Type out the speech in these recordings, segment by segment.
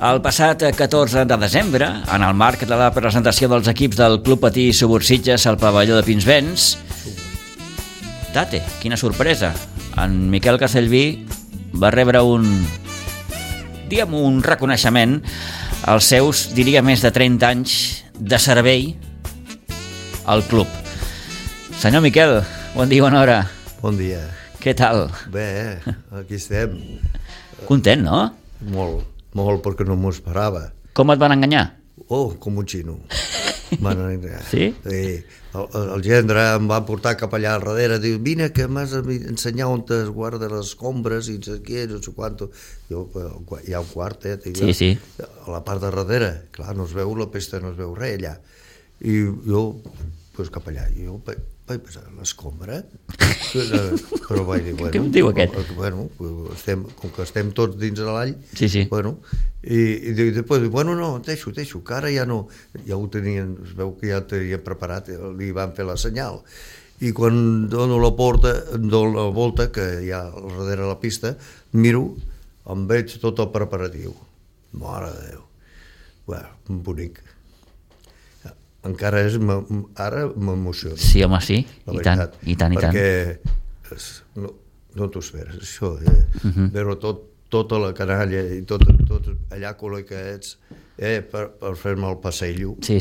El passat 14 de desembre, en el marc de la presentació dels equips del Club Patí Subursitges al pavelló de Pinsbens, date, quina sorpresa, en Miquel Castellví va rebre un reconeixement als seus, diria, més de 30 anys de servei al club. Senyor Miquel, bon dia, bona hora. Bon dia. Què tal? Bé, aquí estem. Content, no? Molt, perquè no m'ho esperava. Com et van enganyar? Oh, com un xino. Van enganyar. Sí? Sí. El gendre em va portar cap allà al darrere, diu, vine que m'has d'ensenyar on es guarda les escombres i no sé què, no sé quanto. Jo, hi ha un quartet. Sí. A la part de darrere, clar, no es veu la pesta, no es veu res allà. I jo, doncs cap allà, jo vaig pensar, l'escombra? Però vaig dir, bueno... Què em diu aquest? Bueno, com que estem tots dins de l'all, sí. Bueno, i després, bueno, no, deixo, que ara ja no... Ja ho tenien, es veu que ja ho tenien preparat, li van fer la senyal. I quan dono la volta, que hi ha al darrere de la pista, miro, em veig tot el preparatiu. Mare de Déu. Bueno, bonic. Encara ara m'emociona. Sí, home, sí, i tant. Perquè no t'ho esperes, això, veure tota la canalla i tot allà col·locats per fer-me el passeillo. Sí.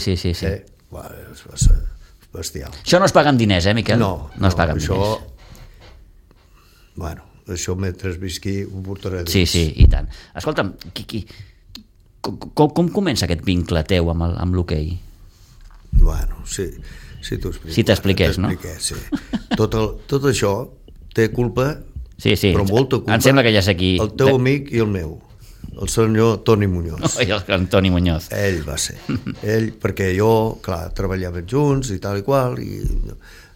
Va ser bestial. Això no es paguen diners, Miquel? No es paguen diners. Bueno, això mentre visqui ho portaré dins. Sí, i tant. Escolta'm, com comença aquest vincle teu amb l'hoquei? Bueno, sí t'ho explico. Si t'expliqués, no? Sí. Tot això té culpa, sí. Però molta culpa. Em sembla que ja sé qui... El teu amic i el meu, el senyor Toni Muñoz. El Toni Muñoz. Ell va ser. Perquè jo, clar, treballàvem junts i tal i qual, i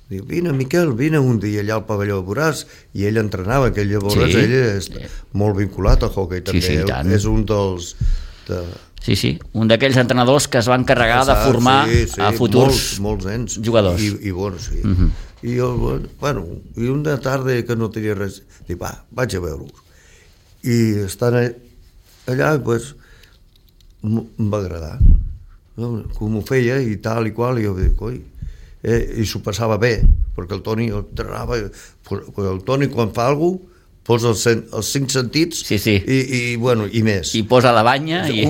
diu, vine, Miquel, vine un dia allà al pavelló de Boràs, i ell entrenava, que ell és molt vinculat al hoquei també. Sí, tant. És un dels... Sí, un d'aquells entrenadors que es van encarregar de formar a futurs molts nens. Jugadors. I bueno, sí. I jo, bueno, i una tarda que no tenia res, dic, vaig a veure-ho. I estant allà, doncs, em va agradar. Com ho feia i tal i qual, i jo dic, oi, i s'ho passava bé, perquè el Toni entrenava, el Toni quan fa alguna cosa, posa els 5 sentits i més. I posa la banya i...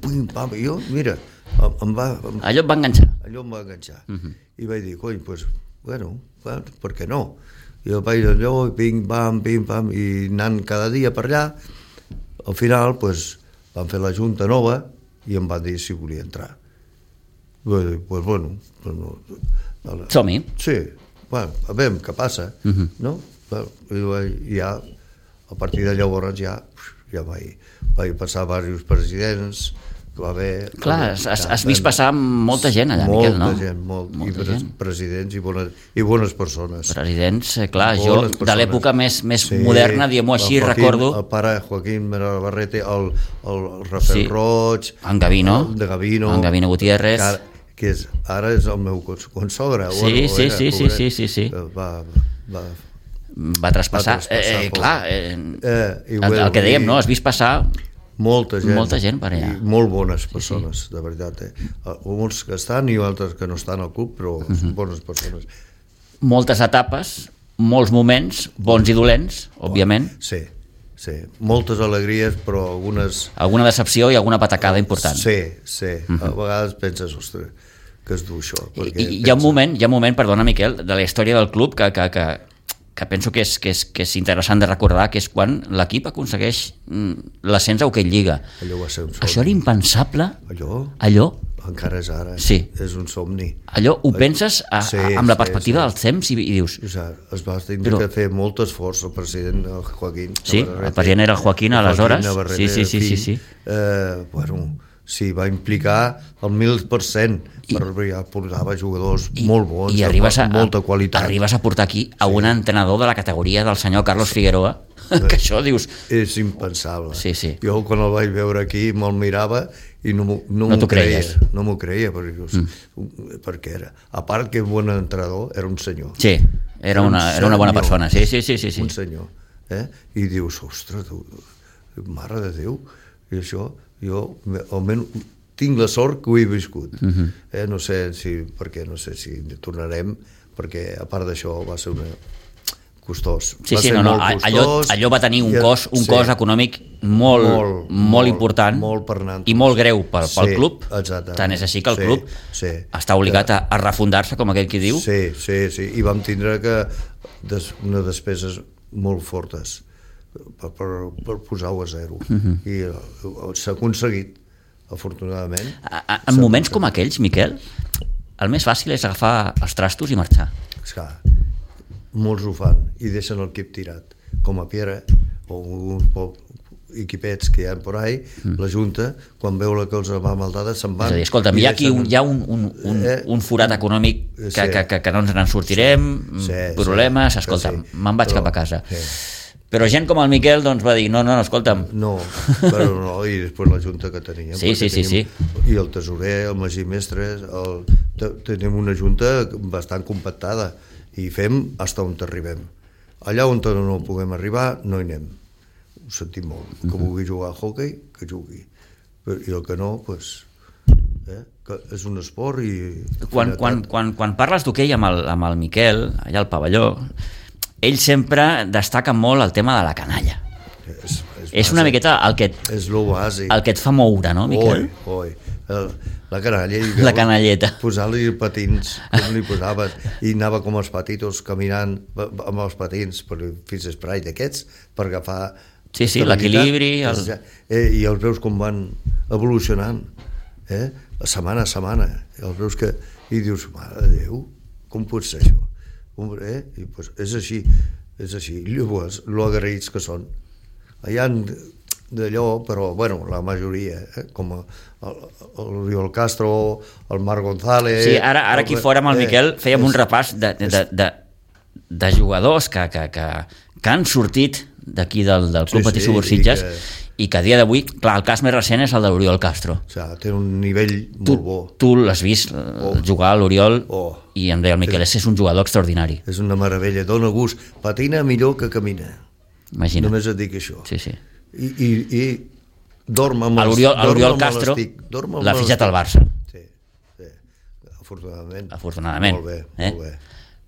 Pum, pam, jo, mira, allò em va enganxar. I vaig dir, coi, doncs, bueno, per què no? I jo vaig allò, pim, pam, i anant cada dia per allà, al final, doncs, van fer la junta nova i em van dir si volia entrar. Doncs, bueno... Som-hi. Sí, bueno, a veure què passa, no? I ja, a partir de llavors ja vaig passar diversos presidents, va haver... Clar, has vist passar molta gent allà, Miquel, no? Molta gent, presidents i bones persones. Presidents, clar, jo de l'època més moderna, diguem-ho així, recordo... El pare Joaquín Barrete, el Rafael Roig... En Gavino Gutiérrez... Que ara és el meu consogre. Sí. Va traspassar. Clar, el que dèiem, no? Has vist passar molta gent per allà. I molt bones persones, de veritat. Uns que estan i altres que no estan al club, però bones persones. Moltes etapes, molts moments, bons i dolents, òbviament. Sí. Moltes alegries, però algunes... Alguna decepció i alguna patacada important. Sí. A vegades penses, ostres, que es du això. Hi ha un moment, perdona, Miquel, de la història del club que penso que és interessant de recordar, que és quan l'equip aconsegueix l'ascens a Hoquei Lliga. Allò va ser un somni. Això era impensable. Allò? Encara és ara. Sí. És un somni. Allò ho penses amb la perspectiva del temps i dius... Es va tenir que fer molt esforç el president Joaquín. Sí, el president era el Joaquín aleshores. Sí. Bueno, sí, va implicar el 1000%, però ja portava jugadors molt bons, amb molta qualitat. Arribes a portar aquí a un entrenador de la categoria del senyor Carlos Figueroa, que això dius... És impensable. Sí. Jo quan el vaig veure aquí me'l mirava i no m'ho creia, perquè era, a part que bon entrenador, era un senyor. Sí, era una bona persona, sí. Un senyor, i dius, ostres, mare de Déu, i això, Jo, almenys, tinc la sort que ho he viscut. No sé si tornarem, perquè a part d'això va ser costós. Sí, allò va tenir un cost econòmic molt important i molt greu pel club. Tant és així que el club està obligat a refundar-se, com aquell qui diu. Sí, i vam tindre unes despeses molt fortes per posar-ho a zero. I s'ha aconseguit, afortunadament. En moments com aquells, Miquel, el més fàcil és agafar els trastos i marxar. Esclar, molts ho fan i deixen el equip tirat, com a Piera o uns equipets que hi ha por ahí, la Junta, quan veu que els va maldada, se'n van. És a dir, escolta'm, hi ha un forat econòmic que no ens en sortirem, problemes, escolta'm, me'n vaig cap a casa. Però gent com el Miquel doncs va dir, no, escolta'm. No, i després la Junta que teníem. Sí. I el tesorer, el Magí Mestres, tenim una Junta bastant compactada i fem fins on arribem. Allà on no puguem arribar, no hi anem. Ho sentim molt. Que vulgui jugar a hoquei, que jugui. I el que no, doncs... que és un esport i... Quan parles d'hoquei amb el Miquel, allà al pavelló, ell sempre destaca molt el tema de la canalla. És una miqueta el que et fa moure, no, Miquel? La canalla. La canalleta. Posar-li patins, com li posaven, i anava com els patitos caminant amb els patins per fins esprai d'aquests, per agafar... Sí, l'equilibri... I els veus com van evolucionant, setmana a setmana. I dius, mare de Déu, com pot ser això? I pues és així. Llavors, lo agraïts que són. Hi ha d'allò, però bueno, la majoria, com l'Oriol Castro, el Marc González... Sí, ara aquí fora amb el Miquel fèiem un repàs de jugadors que han sortit d'aquí del Club Patí Subursitges i que a dia d'avui, clar, el cas més recent és el de l'Oriol Castro. Té un nivell molt bo. Tu l'has vist jugar a l'Oriol i em deia el Miquel, és un jugador extraordinari. És una meravella, dona gust. Patina millor que camina. Imagina't. Només et dic això. Sí. I dorm amb l'Oriol Castro l'ha fitxat al Barça. Sí. Afortunadament. Molt bé.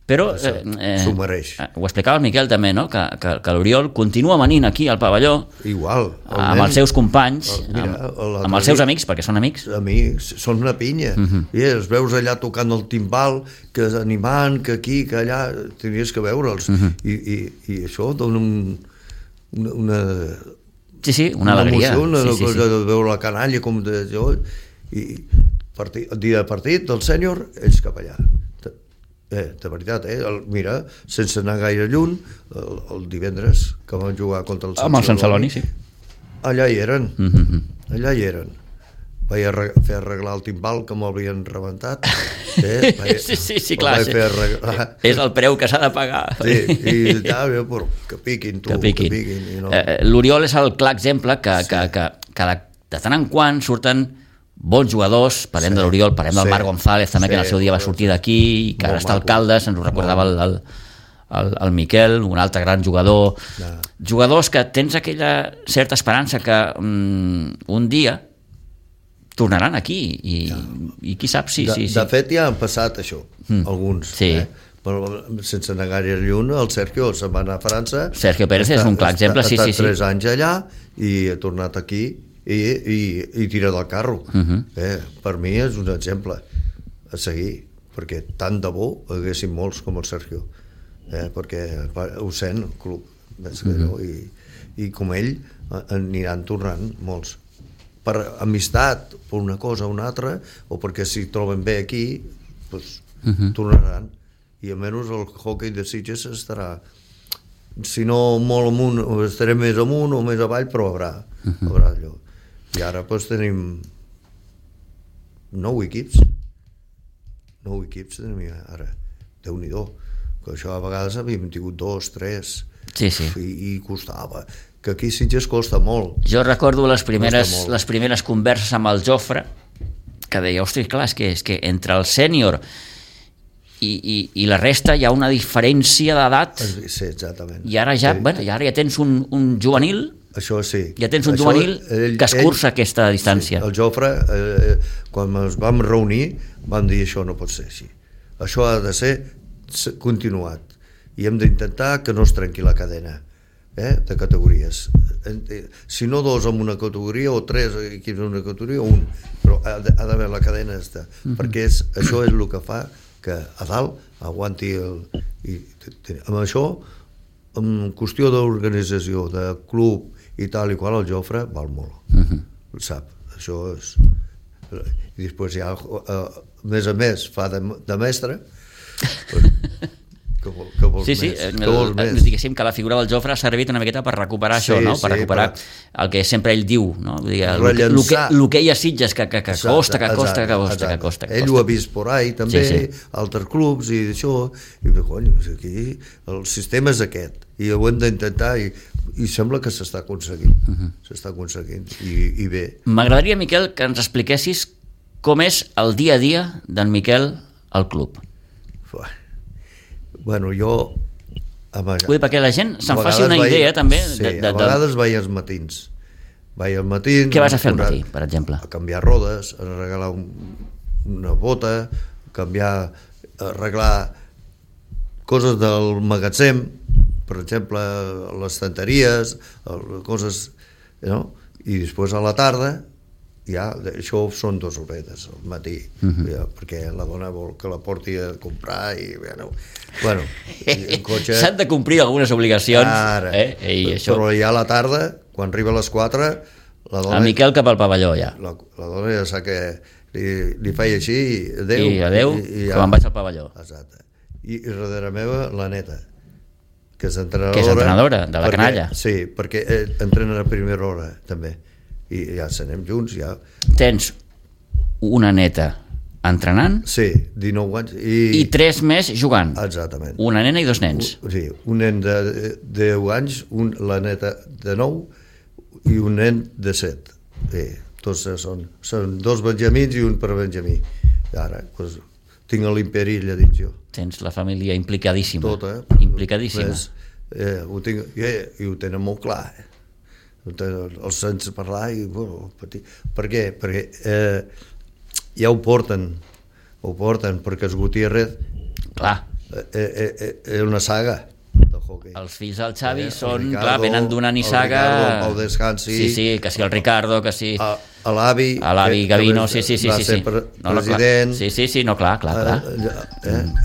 Però s'ho mereix. Ho explicava el Miquel també, no? Que l'Oriol continua venint aquí al pavelló igual, amb els seus companys, amb els seus amics, perquè són amics. Amics, són una pinya. I els veus allà tocant el timbal, que animant, que aquí, que allà, tenies que veure'ls. I això dona una... Sí, una alegria. Una cosa de veure la canalla com de jo, i el dia de partit del sènior, ells cap allà. De veritat, mira, sense anar gaire lluny, el divendres que vam jugar contra el Sant Celoni. Amb el Sant Celoni, sí. Allà hi eren. Vaig fer arreglar el timbal que m'havien rebentat. Sí, clar. És el preu que s'ha de pagar. Sí, i que piquin, tu, que piquin. L'Oriol és el clar exemple que de tant en quant surten bons jugadors, parlem de l'Oriol, parlem del Marc González també, que en el seu dia va sortir d'aquí i que ara està alcalde, se'ns ho recordava el Miquel, un altre gran jugador. Jugadors que tens aquella certa esperança que un dia tornaran aquí i qui sap si... De fet ja han passat això, alguns. Però sense anar gaire lluny, el Sergio se'n va anar a França. Sergio Pérez és un clar exemple, sí. Ha estat 3 anys allà i ha tornat aquí i tira del carro. Per mi és un exemple a seguir, perquè tant de bo haguessin molts com el Sergio, perquè ho sent el club, i com ell aniran tornant molts per amistat, per una cosa o una altra, o perquè si troben bé aquí tornaran, i almenys el hoquei de Sitges estarà, si no molt amunt, estaré més amunt o més avall, però haurà allò. I ara tenim 9 equips tenim ara, Déu-n'hi-do, que això a vegades havíem tingut 2, 3 i costava, que aquí Sitges costa molt. Jo recordo les primeres converses amb el Jofre, que deia, ostres, clar, és que entre el sènior i la resta hi ha una diferència d'edat. Sí, exactament. I ara ja tens un juvenil Això sí. Ja tens un juvenil que escurça aquesta distància. Sí, el Jofre, quan ens vam reunir, vam dir això no pot ser així. Això ha de ser continuat. I hem d'intentar que no es trenqui la cadena de categories. Si no dos en una categoria o tres equips en una categoria, un. Però ha d'haver la cadena perquè això és el que fa que a dalt aguanti amb això, en qüestió d'organització, de club i tal i qual, el Jofre val molt. Ho sap. Això és... I després ja, a més, fa de mestre. Que vols més? Diguéssim que la figura del Jofre ha servit una miqueta per recuperar això, no? Per recuperar el que sempre ell diu, no? El que hi ha Sitges, que costa. Ell ho ha vist por ahí també, altres clubs i això, i cony, aquí el sistema és aquest i ho hem d'intentar i sembla que s'està aconseguint i bé. M'agradaria, Miquel, que ens expliquessis com és el dia a dia d'en Miquel al club. Bueno, jo... Vull dir, perquè la gent se'n faci una idea també... Sí, a vegades vaig als matins. Què vas a fer al matí, per exemple? A canviar rodes, a regalar una bota, arreglar coses del magatzem, per exemple, les estanteries, coses, no? I després a la tarda, ja, això són 2 horetes al matí, perquè la dona vol que la porti a comprar i, bueno, el cotxe... S'han de complir algunes obligacions. Ara, però ja a la tarda, quan arriba a les 4, la dona... El Miquel cap al pavelló, ja. La dona ja sap que li feia així, adéu. I adéu, que me'n vaig al pavelló. Exacte. I darrere meva, la neta, que és entrenadora de la canalla. Sí, perquè entrena a primera hora també i ja s'anem junts ja. Tens una neta entrenant? Sí, 19 anys i 3 més jugant? Exactament. Una nena i 2 nens? Sí, un nen de 10 anys, la neta de 9 i un nen de 7. Tots són 2 benjamins i un per benjamí. I ara tinc l'imperi allà dins jo. Tens la família implicadíssima. Tota. Implicadíssima. Ho tinc, i ho tenen molt clar. Els sents parlar i patir. Per què? Perquè ja ho porten perquè els Gutiérrez és una saga de hockey. Els fills del Xavi són, clar, venen d'una nissaga. El Pau Descansi, sí, que si el Ricardo, que si l'avi Gavino, sí. va ser president. Sí, no, clar.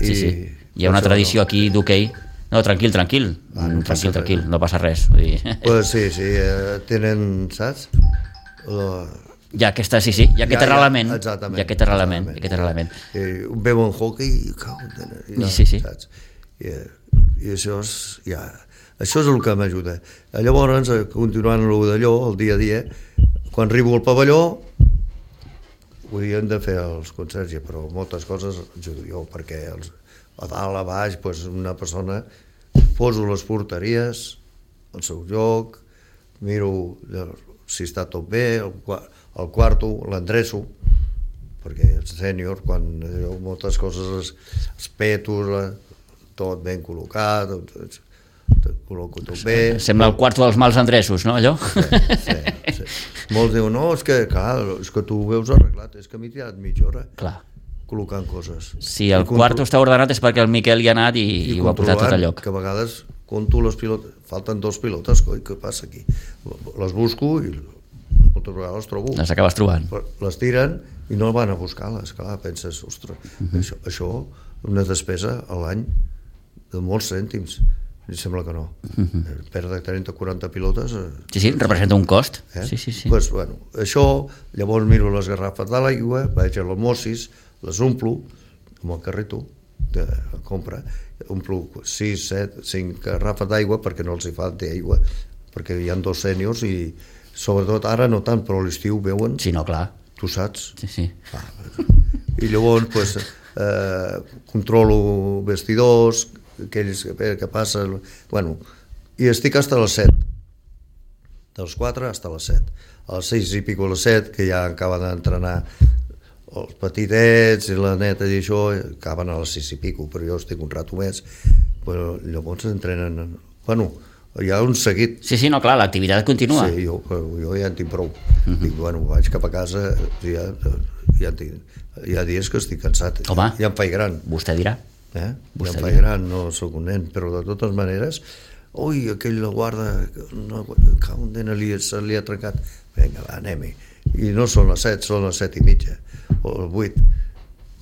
Hi ha una tradició aquí d'hoquei. No, tranquil, no passa res. Pues sí, tenen, saps? Ja aquest arrelament. Exactament. Veuen hockey i saps? I això és el que m'ajuda. Llavors, continuant d'allò, el dia a dia, quan arribo al pavelló, hem de fer els concerts, però moltes coses ajudo jo, perquè a dalt, a baix, una persona poso les porteries al seu lloc, miro si està tot bé, el quarto l'endreço, perquè el sènior, quan moltes coses, els petos, tot ben col·locat, col·loco tot bé. Sembla el quarto dels mals endreços, no, allò? Sí. Molts diuen, no, és que tu ho veus arreglat, és que m'he tirat mitja hora. Clar. Col·locant coses. Si el quarto està ordenat és perquè el Miquel hi ha anat i ho ha posat tot a lloc. Que a vegades conto les pilotes, falten 2 pilotes, què passa aquí? Les busco i moltes vegades les trobo. Les acabes trobant. Les tiren i no van a buscar-les, clar, penses, ostres, això una despesa a l'any de molts cèntims. Em sembla que no. Perdre 30-40 pilotes... Sí, representa un cost. Sí. Pues, bueno, això, llavors miro les garrafes de l'aigua, vaig a l'osmosis, les omplo amb el carrito de compra, omplo 6, 7, 5 garrafes d'aigua perquè no els hi falta aigua, perquè hi ha 2 sèniors i sobretot ara no tant, però a l'estiu veuen... Sí, no, clar. Tu saps? Sí. I llavors, pues, controlo vestidors, aquells que passen... Bueno, i estic fins a les 7. Dels 4 fins a les 7. A les 6 i pico a les 7, que ja acaba d'entrenar els petitets i la neta i això, acaben a les 6 i pico, però jo estic un rato més. Però llavors entrenen... Bueno, hi ha un seguit. Sí, no, clar, l'activitat continua. Sí, jo ja en tinc prou. Dic, bueno, vaig cap a casa, ja hi ha dies que estic cansat. Home, ja em faig gran. Vostè dirà. Ja em faig gran, no sóc un nen, però de totes maneres, ui, aquell la guarda, un nen se li ha trencat. Vinga, va, anem-hi. I no són les 7, són les 7:30, o les 8.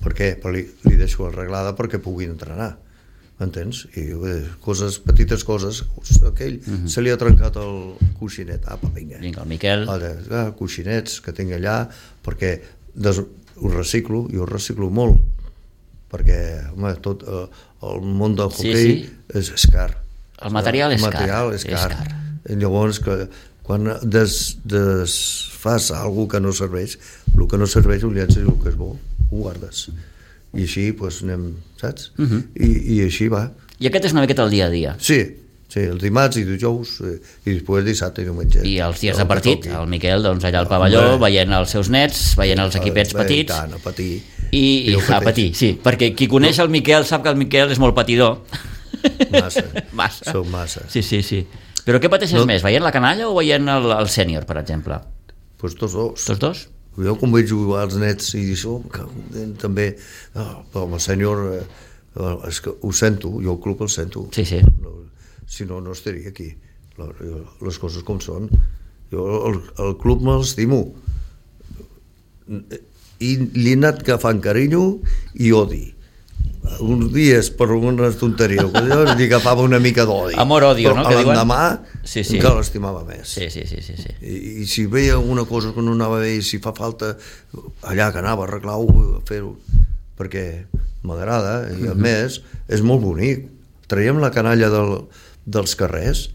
Per què? Li deixo arreglada perquè pugui entrenar. M'entens? I coses, petites coses, aquell se li ha trencat el coixinet, vinga, el Miquel, coixinets que tinc allà, perquè ho reciclo molt, perquè home, tot el món del hoquei és car, el material és car. I llavors quan desfas alguna que no serveix, el que no serveix ho llences i el que és bo ho guardes. I així doncs anem, saps? I així va. I aquest és una miqueta el dia a dia. Sí, el dimarts i dijous i després dissabte i diumenge. I els dies de partit, el Miquel doncs allà al pavelló, veient els seus nets, veient els equipets petits. I tant, a patir. I a patir, sí, perquè qui coneix el Miquel sap que el Miquel és molt patidor. Massa. Som massa. Sí. Però què pateixes més, veient la canalla o veient el sènior, per exemple? Doncs tots dos. Tots dos? Jo quan veig jugar als nets i això, també, però amb el sènior és que ho sento, jo el club el sento. Sí. Si no, no estaria aquí. Les coses com són. Jo el club me l'estimo. I li he anat agafant carinyo i odi. Uns dies per una tonteria li agafava una mica d'odi, amor-odio, no? Però l'endemà encara l'estimava més. Sí. I si veia alguna cosa que no anava bé i si fa falta allà que anava a arreglar-ho, a fer-ho, perquè m'agrada i a més és molt bonic. Traiem la canalla dels carrers,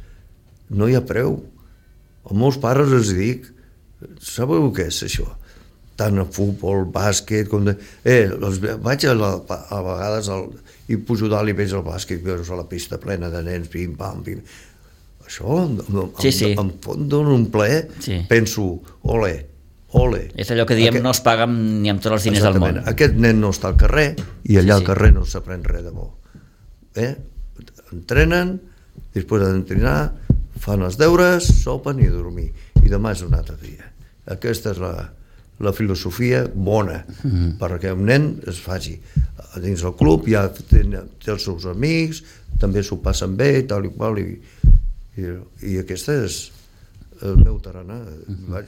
no hi ha preu. A molts pares els dic, sabeu què és això? Tant a futbol, bàsquet, com de... vaig a vegades i pujo dalt i veig el bàsquet, que és a la pista plena de nens, pim-pam, pim. Això em dona un plaer, penso, ole. És allò que diem, no es paga ni amb tots els diners del món. Aquest nen no està al carrer i allà al carrer no s'aprèn res de bo. Entrenen, després d'entrenar, fan els deures, sopen i dormir. I demà és un altre dia. Aquesta és la filosofia bona, perquè un nen es faci dins el club, ja té els seus amics, també s'ho passen bé, tal i qual, i aquesta és el meu tarannà.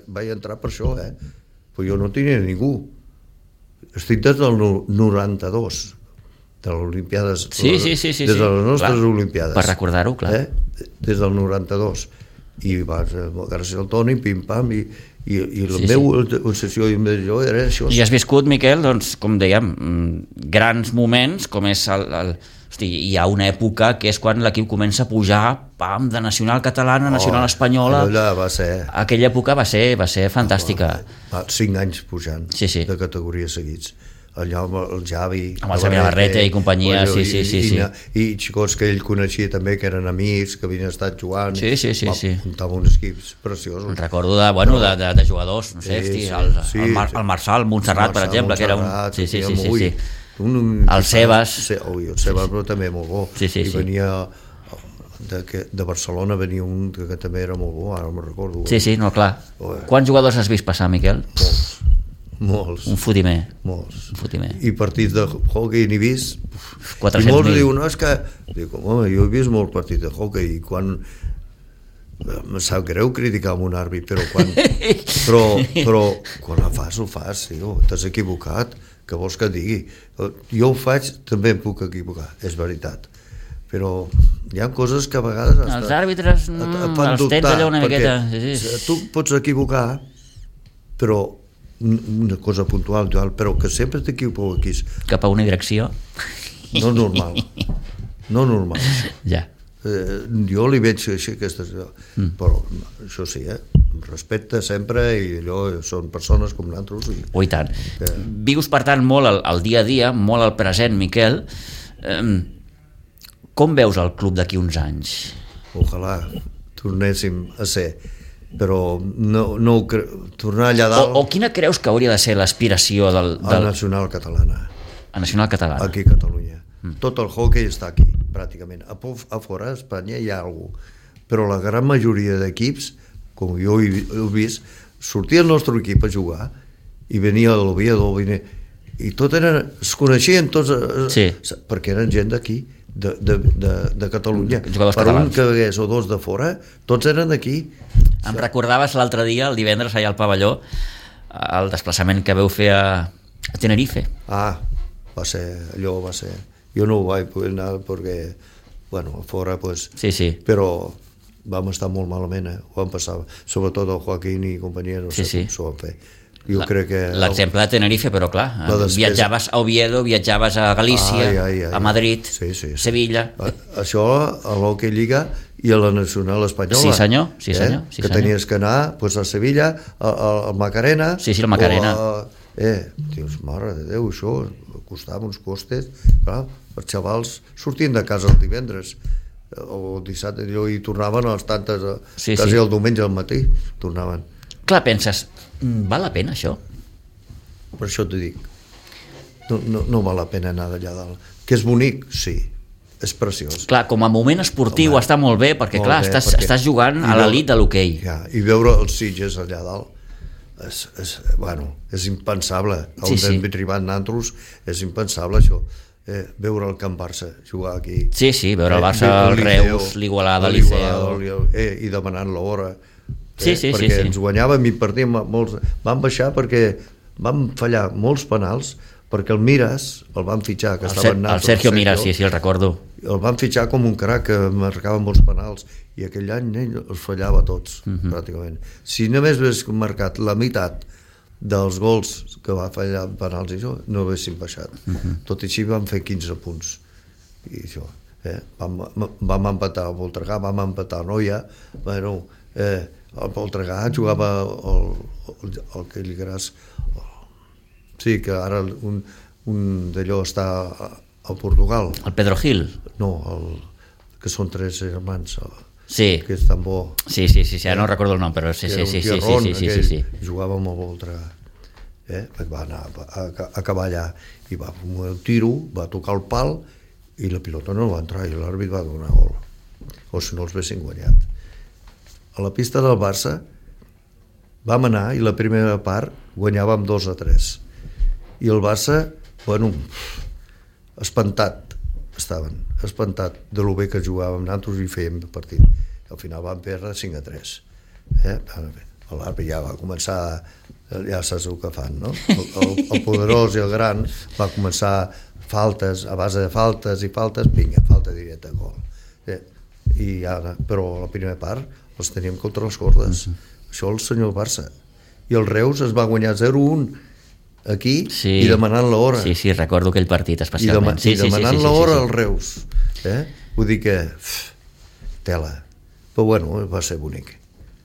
Vaig entrar per això, però jo no tenia ningú. Estic des del 92, de les Olimpiades, des de les nostres Olimpiades. Per recordar-ho, clar. Des del 92. I gràcies al Toni, pim-pam, i la meva obsessió era això. I has viscut, Miquel, doncs, com dèiem, grans moments, com és hi ha una època que és quan l'equip comença a pujar de nacional catalana a nacional espanyola. Aquella època va ser fantàstica. 5 anys pujant de categories seguits. Allà amb el Javi, amb el Xavi Navarrete i companyia, i xicots que ell coneixia també, que eren amics, que havien estat jugant, muntava uns equips preciosos. Recordo de jugadors, no sé, el Marçal, Montserrat, per exemple, que era un... Sí. El Sebas. El Sebas, però també molt bo. I venia de Barcelona, venia un que també era molt bo, ara no me'n recordo. Sí, no, clar. Quants jugadors has vist passar, Miquel? Molts. Un fotimer. Molts. I partits de hoquei n'he vist. 400.000. I molts diuen, no, és que... Dic, home, jo he vist molts partits de hoquei i quan... Em sap greu criticar un àrbit, però quan... però quan ho fas, tio, t'has equivocat, què vols que et digui? Jo ho faig, també em puc equivocar, és veritat. Però hi ha coses que a vegades... Els àrbitres els tens allà una miqueta... Tu pots equivocar, però una cosa puntual, però que sempre t'equivoquis cap a una direcció no normal ja. Jo li veig així aquestes, però això sí, respecte sempre, i allò són persones com nosaltres i tant. Vius per tant molt el dia a dia, molt al present, Miquel. Com veus el club d'aquí uns anys? Ojalà tornéssim a ser, però no tornar allà dalt. O quina creus que hauria de ser l'aspiració del... A Nacional Catalana. A Nacional Catalana. Aquí a Catalunya. Tot el hoquei està aquí, pràcticament. A fora, a Espanya hi ha algú, però la gran majoria d'equips, com jo he vist, sortia el nostre equip a jugar i venia l'Oviedo, i tot es coneixien tots, perquè eren gent d'aquí, de Catalunya. Per un que hagués o dos de fora, tots eren d'aquí. Em recordaves l'altre dia, el divendres, allà al pavelló, el desplaçament que veu fer a Tenerife. Va ser. Jo no ho vaig poder anar perquè, a fora, però vam estar molt malament, ho vam passar, sobretot el Joaquín i companyia, no sé com s'ho van fer. Jo crec que... L'exemple de Tenerife, però clar, viatjaves a Oviedo, viatjaves a Galícia, a Madrid, Sevilla... Això a l'Hockey Lliga i a la Nacional Espanyola. Sí, senyor. Que tenies que anar a Sevilla, al Macarena... Sí, el Macarena. Dius, mare de Déu, això costava uns costes, clar, els xavals sortien de casa el divendres o dissabte i tornaven a les tantes, quasi el diumenge al matí tornaven. Clar, penses, val la pena això? Per això t'ho dic, no val la pena anar d'allà dalt. Que és bonic? Sí, és preciós. Clar, com a moment esportiu està molt bé, perquè clar, estàs jugant a l'elit de l'hoquei. I veure els Sitges allà dalt és impensable. On hem arribat nosaltres és impensable això. Veure el Camp Barça jugar aquí. Sí, veure el Barça, el Reus, l'Igualada, el Liceo... I demanant l'hora. Perquè ens guanyàvem i partíem molts... Vam baixar perquè vam fallar molts penals, perquè el Miras el van fitxar, que estava en el Sergio Miras, sí, el recordo. El van fitxar com un crac que marcava molts penals i aquell any ell els fallava tots, pràcticament. Si només hagués marcat la meitat dels gols que va fallar en penals i això, no haguéssim baixat. Tot i així vam fer 15 punts. I això, vam empatar a Voltregà, vam empatar a Noia, el Voltregà jugava el que li diràs... Sí, que ara un d'allò està a Portugal. El Pedro Gil? No, que són 3 germans. Sí. Que és tan bo. Sí, ara no recordo el nom, però sí. Jugava amb el Voltregà. Va anar a acabar allà i va fer el tiro, va tocar el pal i la pilota no va entrar i l'àrbit va donar gol. O si no els haguessin guanyat. A la pista del Barça vam anar i la primera part guanyàvem 2-3. I el Barça, espantat de lo bé que jugàvem nosaltres i fèiem partit. Al final vam perdre 5-3. L'àrbit ja va començar, ja saps el que fan, no? El poderós i el gran va començar faltes, a base de faltes, vinga, falta directa, gol. Però a la primera part els teníem contra les cordes. Això el senyor Barça. I el Reus es va guanyar 0-1 aquí i demanant l'hora. Sí, recordo aquell partit especialment. I demanant l'hora al Reus. Vull dir que tela. Però va ser bonic.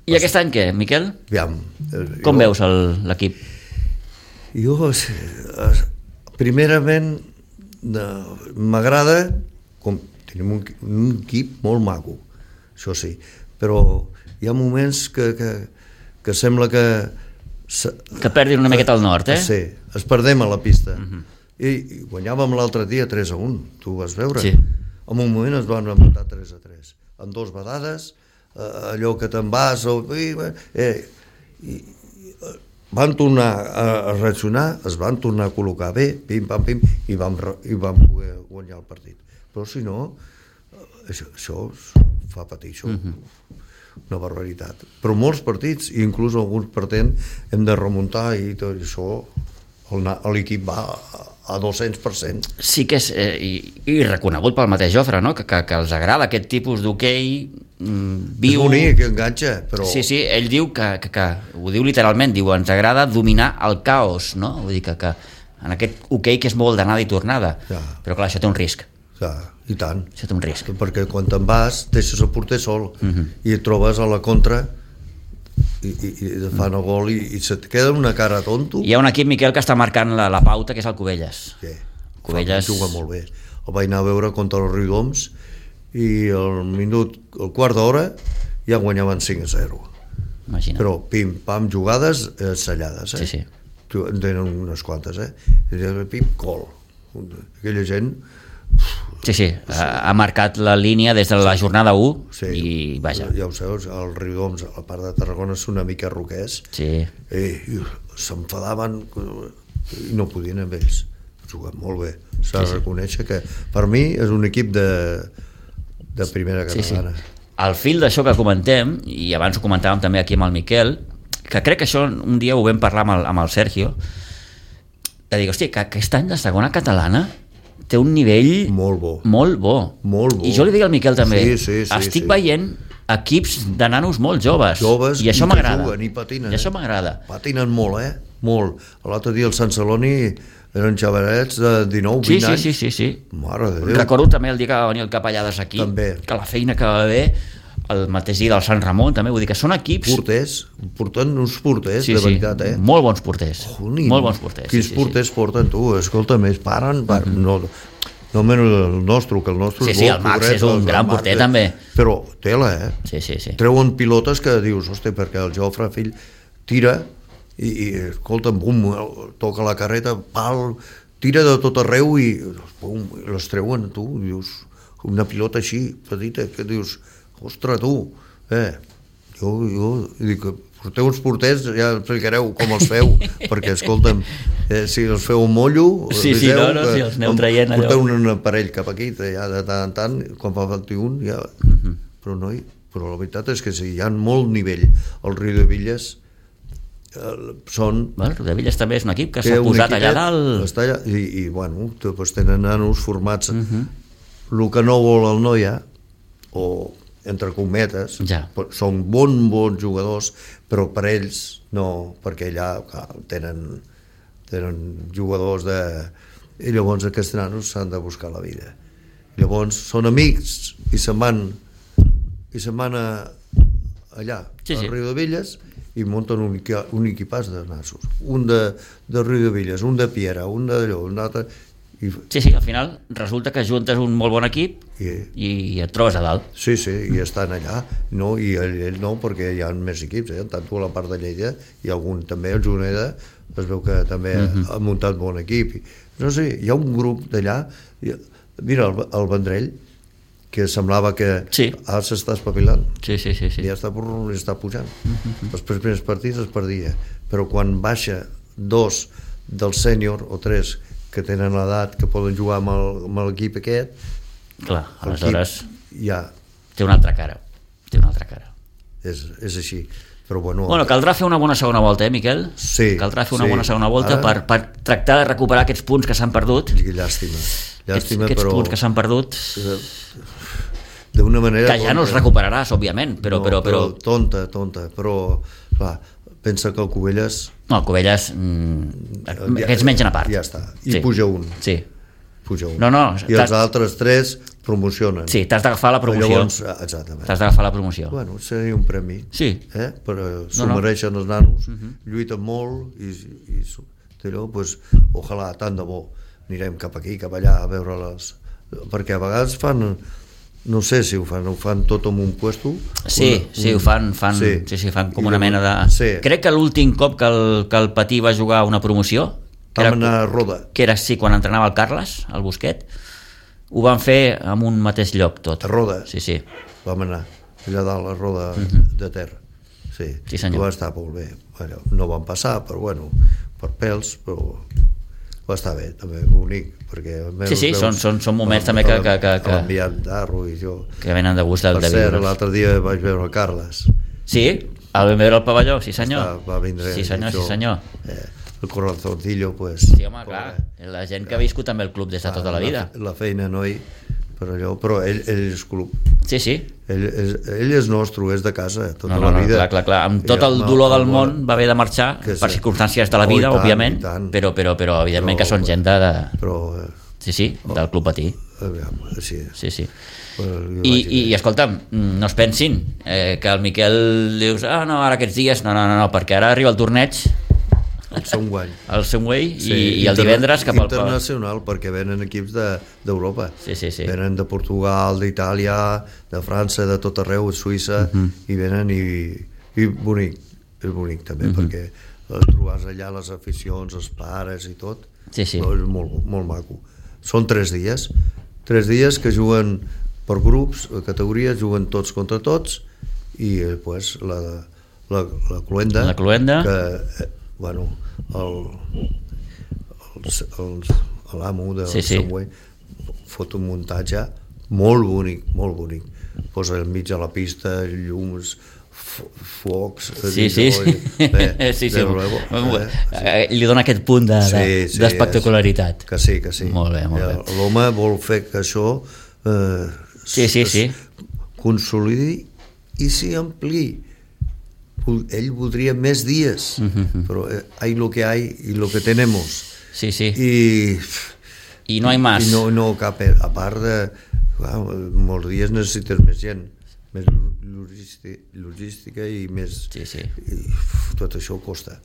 I aquest any què, Miquel? Com veus l'equip? Jo, primerament, m'agrada, tenim un equip molt maco, això sí, però hi ha moments que sembla que perdin una miqueta al nord, Sí, es perdem a la pista. I guanyàvem l'altre dia 3-1, tu ho vas veure? Sí. En un moment es van empatar 3-3, amb 2 vedades, allò que te'n vas, van tornar a reaccionar, es van tornar a col·locar bé, pim, pam, pim, i vam poder guanyar el partit. Però si no, això fa patir, això. Una barbaritat. Però molts partits, inclús alguns partents, hem de remuntar i tot això, l'equip va a 200%. Sí que és, i reconegut pel mateix Jofre, no? que els agrada aquest tipus d'hoquei viu... És bonic, que enganxa, però... Sí, ell diu que ho diu literalment, diu, ens agrada dominar el caos, no? Vull dir que en aquest hoquei que és molt d'anada i tornada, però clar, això té un risc. I tant. Això té un risc. Perquè quan te'n vas, deixes el porter sol i et trobes a la contra i fan el gol i se't queda una cara tonto. Hi ha un equip, Miquel, que està marcant la pauta, que és el Cubelles. Cubelles juga molt bé. El vaig anar a veure contra el Riudoms i el quart d'hora ja guanyaven 5-0. Imagina. Però pim, pam, jugades sellades. Sí. En tenen unes quantes, pim, gol. Aquella gent Sí, ha marcat la línia des de la jornada 1 sí, i vaja. Ja ho saps, el Riudoms, a part de Tarragona, és una mica roquers, Sí. i s'enfadaven i no podien amb ells. Juguen molt bé, s'ha de reconèixer que per mi és un equip de primera catalana. Al fil d'això que comentem, i abans ho comentàvem també aquí amb el Miquel, que crec que això un dia ho vam parlar amb el Sergio, de dir, hòstia, que aquest any la segona catalana té un nivell molt bo. Molt bo. Molt bo. I jo li dic al Miquel també, sí, estic veient equips de nanos molt joves, i això i m'agrada. Juguen, i patinen. I això m'agrada. Patinen molt, molt. L'altre dia el Sant Celoni eren xavalets de 19-20 anys. Sí. Mare de Déu. Recordo també el dia que va venir el Capellades aquí, també. Que la feina que va haver, el mateix dia del Sant Ramon també, vull dir que són equips... Porten uns porters, de veritat, molt bons porters. Molt bons porters. Quins porters porten, tu? Escolta, més paren, no menys el nostre, que el nostre és bo. Sí, el Max és un gran porter també. Però tela, Sí. Treuen pilotes que dius, hòstia, perquè el Jofre, fill, tira i escolta, bum, toca la carreta, pal, tira de tot arreu i bum, les treuen, tu, dius, una pilota així, petita, que dius, ostres, tu, jo dic, porteu uns porters, ja explicareu com els feu, perquè, escolta'm, si els feu un mollo, si els aneu traient allò. Porteu un aparell cap aquí, ja de tant en tant, quan fa falti un, ja... Però la veritat és que sí, hi ha molt nivell. El Riudebitlles són... El Riudebitlles també és un equip que s'ha posat allà dalt. Està allà, i bueno, tenen nanos formats. El que no vol el Noia, o entre cometes, són bons jugadors, però per ells no, perquè allà tenen jugadors de... I llavors aquests nanos s'han de buscar la vida. Llavors són amics i se'n van allà, al Riudebitlles, i munten un equipàs de nassos. Un de Riudebitlles, un de Piera, un d'allò, un altre... Sí, al final resulta que juntes un molt bon equip i et trobes a dalt. Sí, i estan allà, no, i ell no, perquè hi ha més equips, tant tu a la part de Lleida i algun també, el Juneda, es veu que també ha muntat bon equip. No sé, hi ha un grup d'allà, mira, el Vendrell, que semblava que ara s'està espavilant. Sí. Ja està pujant. Els primers partits es perdia, però quan baixa 2 del sènior o 3 que tenen l'edat que poden jugar amb l'equip aquest, clar, aleshores ja té una altra cara. És així. Però bueno, caldrà fer una bona segona volta, Miquel? Sí. Caldrà fer una bona segona volta per tractar de recuperar aquests punts que s'han perdut. Llàstima, aquests punts que s'han perdut d'una manera que ja no els recuperaràs, òbviament, però tonta, però clar, pensa que el Cubelles aquests mengen a part. Ja està, i puja un. Sí. I els altres 3 promocionen. Sí, t'has d'agafar la promoció. Llavors, exactament. T'has d'agafar la promoció. Bueno, seria un premi. Sí. Però s'ho mereixen els nanos, lluiten molt i allò, doncs, ojalà, tant de bo, anirem cap aquí, cap allà a veure-les, perquè a vegades fan, no sé si ho fan tot en un puesto. Sí, ho fan com una mena de... Crec que l'últim cop que el Patí va jugar una promoció, vam anar a Roda, que era quan entrenava el Carles, el Busquet, ho van fer en un mateix lloc tot. A Roda? Sí. Vam anar allà dalt a Roda de Ter. Sí, senyor. Va estar molt bé. Bueno, no van passar, però bueno, per pèls, però va estar bé, també, bonic, perquè... són moments també que l'enviat d'Arro i jo... Que venen de gust de viure. Per cert, l'altre dia vaig veure el Carles. Sí? El vam veure al pavelló, sí senyor. Va vindre... Sí senyor. El corazoncillo, pues... Sí, home, clar, la gent que ha viscut també el club des de tota la vida. La feina, noi, però ell és club. Sí. Ell és nostre, és de casa, tota la vida. Clar, amb tot el dolor del món va haver de marxar, per circumstàncies de la vida, òbviament, però evidentment que són gent del Club Patí. Sí. I escolta'm, no es pensin que el Miquel dius, no, ara aquests dies, no, perquè ara arriba el torneig, el Sunway. El Sunway i el divendres cap al internacional, perquè venen equips d'Europa. Sí. Venen de Portugal, d'Itàlia, de França, de tot arreu, de Suïssa, i venen i bonic. És bonic també, perquè trobes allà les aficions, els pares i tot. Sí. És molt maco. Són 3 dies, 3 dies que juguen per grups, categories, juguen tots contra tots, i pues, la cluenda, que bueno, l'amo del Subway fot un muntatge molt bonic, posa al mig de la pista llums, focs, li dona aquest punt d'espectacularitat. Que sí. Molt bé. L'home vol fer que això consolidi i s'hi ampliï. Ell voldria més dies, però hay lo que hay y lo que tenemos. Sí. I no hi más. I no cap, a part de... molts dies necessites més gent, més logística i més... I tot això costa.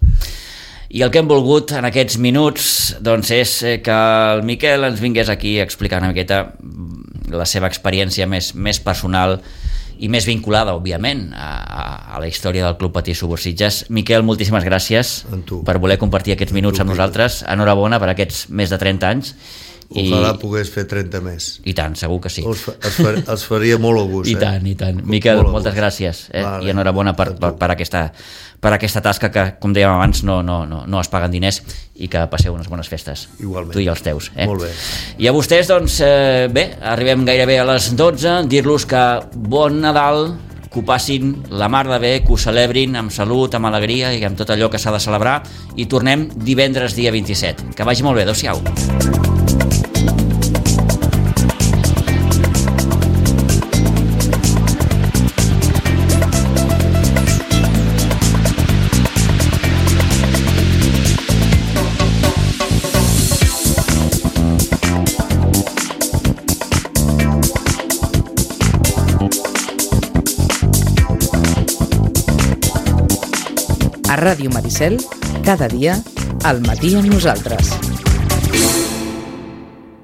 I el que hem volgut en aquests minuts doncs és que el Miquel ens vingués aquí a explicar una miqueta la seva experiència més personal i més vinculada, òbviament, a la història del Club Patí Subursitges. Miquel, moltíssimes gràcies per voler compartir aquests minuts amb nosaltres. Enhorabona per aquests més de 30 anys. Ojalà pogués fer 30 més. I tant, segur que sí. Els faria molt a gust. I tant. Miquel, moltes gràcies. I enhorabona per aquesta tasca que, com dèiem abans, no es paguen diners, i que passeu unes bones festes. Igualment. Tu i els teus. Molt bé. I a vostès, doncs, bé, arribem gairebé a les 12, dir-los que bon Nadal, que ho passin la mar de bé, que ho celebrin amb salut, amb alegria i amb tot allò que s'ha de celebrar, i tornem divendres dia 27. Que vagi molt bé, adéu-siau. A Ràdio Maricel, cada dia, al matí amb nosaltres.